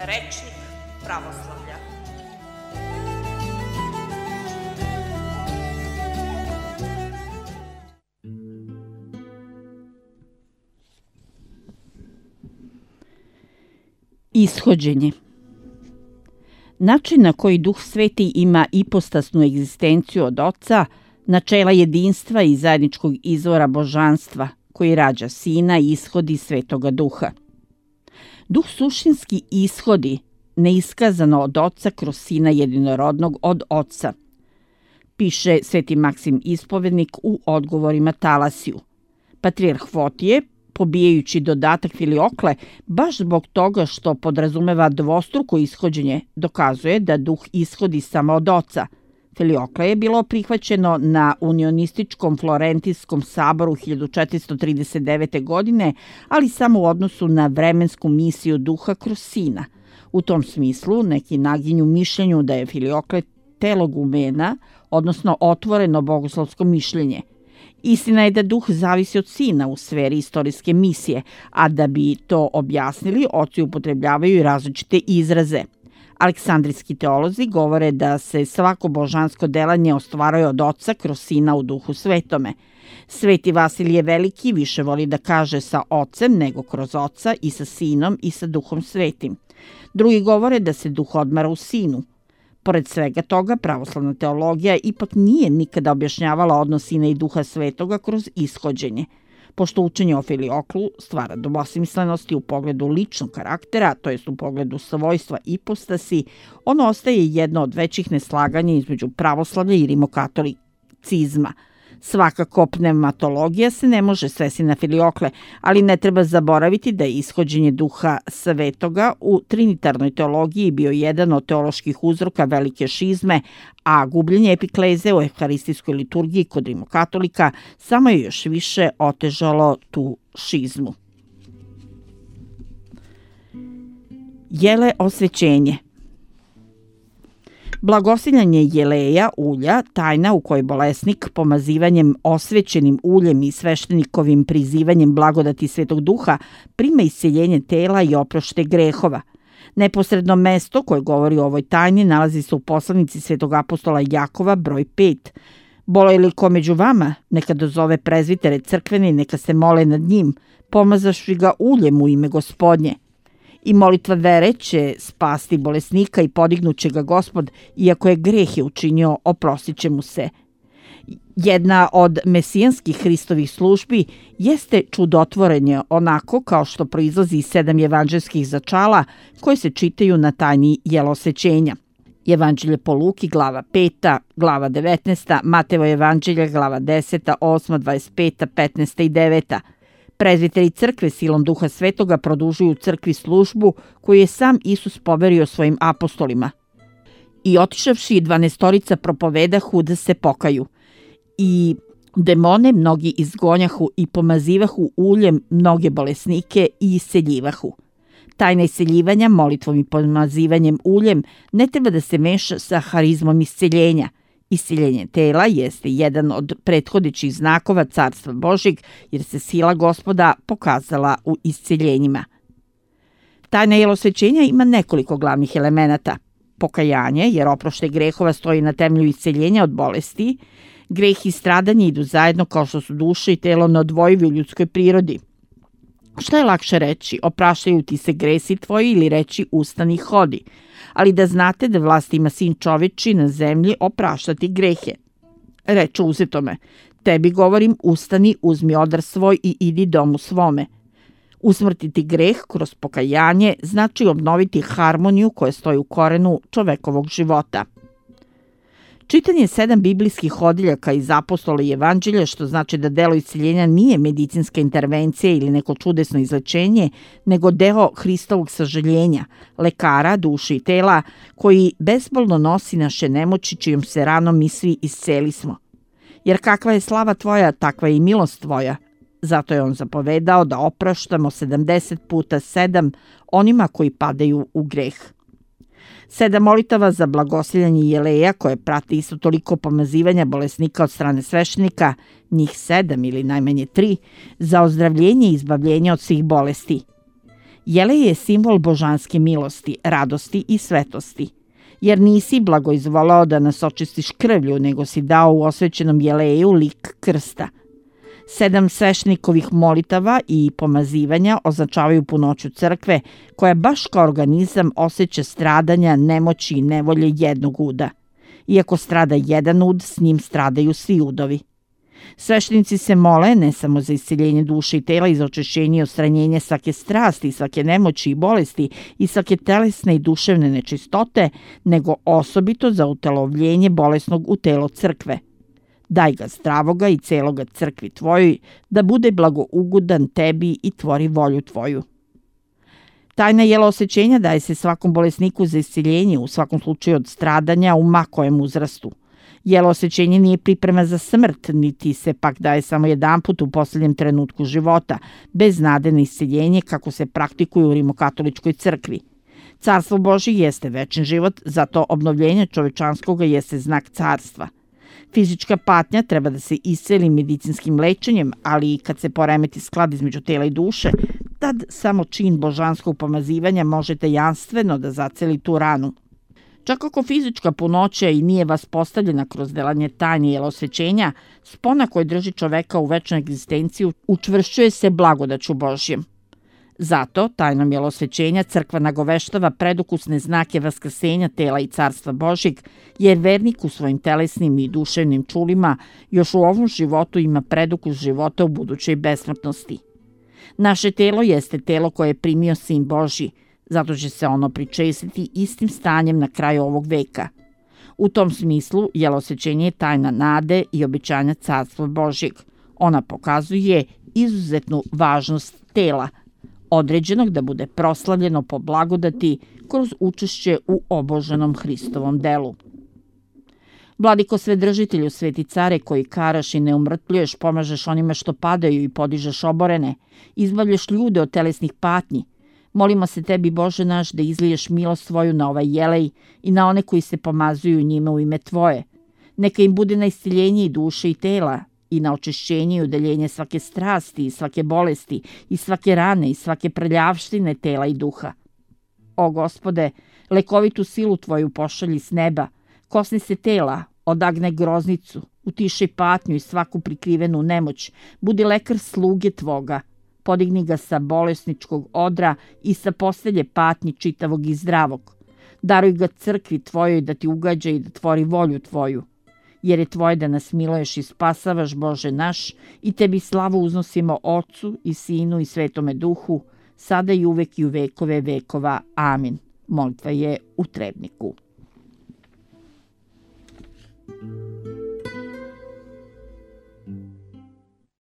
Rečnik pravoslavlja. Ishođenje. Način na koji Duh Sveti ima ipostasnu egzistenciju od Oca, načela jedinstva i zajedničkog izvora božanstva, koji rađa Sina i ishodi Svetoga Duha. Duh suštinski ishodi, neiskazano od Oca kroz Sina jedinorodnog od Oca, piše Sveti Maksim Ispovednik u odgovorima Talasiju. Patrijarh Fotije, pobijajući dodatak Filiokle, baš zbog toga što podrazumeva dvostruko ishođenje, dokazuje da Duh ishodi samo od Oca. Filiokle je bilo prihvaćeno na unionističkom Florentijskom saboru 1439. godine, ali samo u odnosu na vremensku misiju Duha kroz Sina. U tom smislu neki naginju mišljenju da je Filiokle telogumena, odnosno otvoreno bogoslovsko mišljenje. Istina je da Duh zavisi od Sina u sferi istorijske misije, a da bi to objasnili, oci upotrebljavaju i različite izraze. Aleksandrijski teolozi govore da se svako božansko delanje ostvaruje od Oca kroz Sina u Duhu Svetome. Sveti Vasilije Veliki više voli da kaže sa Ocem nego kroz Oca i sa Sinom i sa Duhom Svetim. Drugi govore da se Duh odmara u Sinu. Pored svega toga, pravoslavna teologija ipak nije nikada objašnjavala odnos Sina i Duha Svetoga kroz ishođenje. Pošto učenje o Filioklu stvara dvosmislenosti u pogledu ličnog karaktera, to jest u pogledu svojstva ipostasi, ono ostaje jedno od većih neslaganja između pravoslavlja i rimokatolicizma. Svakako, pneumatologija se ne može svesti na Filiokle, ali ne treba zaboraviti da je ishođenje Duha Svetoga u trinitarnoj teologiji bio jedan od teoloških uzroka velike šizme, a gubljenje epikleze u evharistijskoj liturgiji kod rimokatolika samo je još više otežalo tu šizmu. Jele osvećenje. Blagosiljanje jeleja, ulja, tajna u kojoj bolesnik pomazivanjem osvećenim uljem i sveštenikovim prizivanjem blagodati Svetog Duha prima isceljenje tela i oprošte grehova. Neposredno mesto koje govori o ovoj tajni nalazi se u poslanici Svetog apostola Jakova broj 5. Boluje li ko među vama, neka dozove prezvitere crkvene i neka se mole nad njim, pomazašvi ga uljem u ime Gospodnje. I molitva vere će spasti bolesnika i podignuće ga Gospod, iako je greh je učinio, oprostit će mu se. Jedna od mesijanskih Hristovih službi jeste čudotvorenje, onako kao što proizlazi iz 7 evanđelskih začala koje se čitaju na tajni jelosvećenja. Evanđelje po Luki, glava 5, glava 19, Matevo evanđelje, glava 10, 8, 25, 15 i 9. Prezviteri crkve silom Duha Svetoga produžuju crkvi službu koju je sam Isus poverio svojim apostolima. I otišavši 12 propovedahu da se pokaju. I demone mnogi izgonjahu i pomazivahu uljem mnoge bolesnike i isceljivahu. Tajna isceljivanja molitvom i pomazivanjem uljem ne treba da se meša sa harizmom isceljenja. Isceljenje tela jeste jedan od prethodećih znakova Carstva Božjeg, jer se sila Gospoda pokazala u isceljenjima. Tajna jelosvećenja ima nekoliko glavnih elemenata. Pokajanje, jer oproštaj grehova stoji na temelju isceljenja od bolesti. Greh i stradanje idu zajedno kao što su duša i telo neodvojivi u ljudskoj prirodi. Šta je lakše reći? Opraštaju ti se gresi tvoji ili reći ustani i hodi. Ali da znate da vlast ima Sin čoveči na zemlji opraštati grehe. Reče uzetome, tebi govorim, ustani, uzmi odar svoj i idi domu svome. Usmrtiti greh kroz pokajanje znači obnoviti harmoniju koja stoji u korenu čovekovog života. Čitanje 7 biblijskih odjeljaka iz apostola i evanđelja, što znači da delo isceljenja nije medicinska intervencija ili neko čudesno izlečenje, nego deo Hristovog sažaljenja, lekara, duše i tela, koji bezbolno nosi naše nemoći, čijom se ranom mi svi iscelismo. Jer kakva je slava tvoja, takva je i milost tvoja. Zato je on zapovedao da opraštamo 70 puta 7 onima koji padaju u greh. 7 molitava za blagosiljanje jeleja koje prate isto toliko pomazivanja bolesnika od strane sveštenika, njih 7 ili najmanje 3, za ozdravljenje i izbavljenje od svih bolesti. Jelej je simbol božanske milosti, radosti i svetosti, jer nisi blagoizvolao da nas očistiš krvlju, nego si dao u osvećenom jeleju lik krsta. 7 sveštenikovih molitava i pomazivanja označavaju punoću crkve, koja baš kao organizam osjeća stradanja, nemoći i nevolje jednog uda. Iako strada jedan ud, s njim stradaju svi udovi. Sveštenici se mole ne samo za isceljenje duše i tela i za očišćenje i odstranjenje svake strasti, svake nemoći i bolesti i svake telesne i duševne nečistote, nego osobito za utelovljenje bolesnog u telo crkve. Daj ga zdravoga i celoga crkvi tvojoj, da bude blagougodan tebi i tvori volju tvoju. Tajna jelosečenja daje se svakom bolesniku za isceljenje, u svakom slučaju od stradanja u ma kojem uzrastu. Jelosečenje nije priprema za smrt, niti se pak daje samo jedanput u posljednjem trenutku života, bez nade na isceljenje kako se praktikuje u rimokatoličkoj crkvi. Carstvo Božje jeste večni život, zato obnovljenje čovečanskoga jeste znak carstva. Fizička patnja treba da se isceli medicinskim lečenjem, ali i kad se poremeti sklad između tela i duše, tad samo čin božanskog pomazivanja može tajanstveno da zaceli tu ranu. Čak ako fizička punoća i nije vaspostavljena kroz delanje tajne jelosvećenja, spona koja drži čoveka u večnu egzistenciju učvršćuje se blagodaću Božjem. Zato, tajnom jelosvećenja, crkva nagoveštava predukusne znake vaskrsenja tela i carstva Božjeg, jer vernik u svojim telesnim i duševnim čulima još u ovom životu ima predukus života u budućoj besmrtnosti. Naše telo jeste telo koje je primio Sin Božji, zato će se ono pričestiti istim stanjem na kraju ovog veka. U tom smislu, jelosvećenje je tajna nade i obećanja carstva Božjeg. Ona pokazuje izuzetnu važnost tela, određenog da bude proslavljeno po blagodati kroz učešće u oboženom Hristovom delu. Vladiko Svedržitelju, sveti care koji karaš i ne umrtljuješ, pomažeš onima što padaju i podižeš oborene, izbavljaš ljude od telesnih patnji, molimo se tebi, Bože naš, da izliješ milost svoju na ovaj jelej i na one koji se pomazuju njime u ime tvoje. Neka im bude na isceljenje i duše i tela, i na očišćenje i udeljenje svake strasti i svake bolesti i svake rane i svake prljavštine tela i duha. O Gospode, lekovitu silu tvoju pošalji s neba, kosni se tela, odagne groznicu, utišaj patnju i svaku prikrivenu nemoć, budi lekar sluge tvoga, podigni ga sa bolesničkog odra i sa postelje patnji čitavog i zdravog. Daruj ga crkvi tvojoj da ti ugađa i da tvori volju tvoju, jer je tvoje da nas miluješ i spasavaš, Bože naš, i tebi slavu uznosimo Otcu i Sinu i Svetome Duhu, sada i uvek i u vekove vekova. Amin. Molitva je u Trebniku.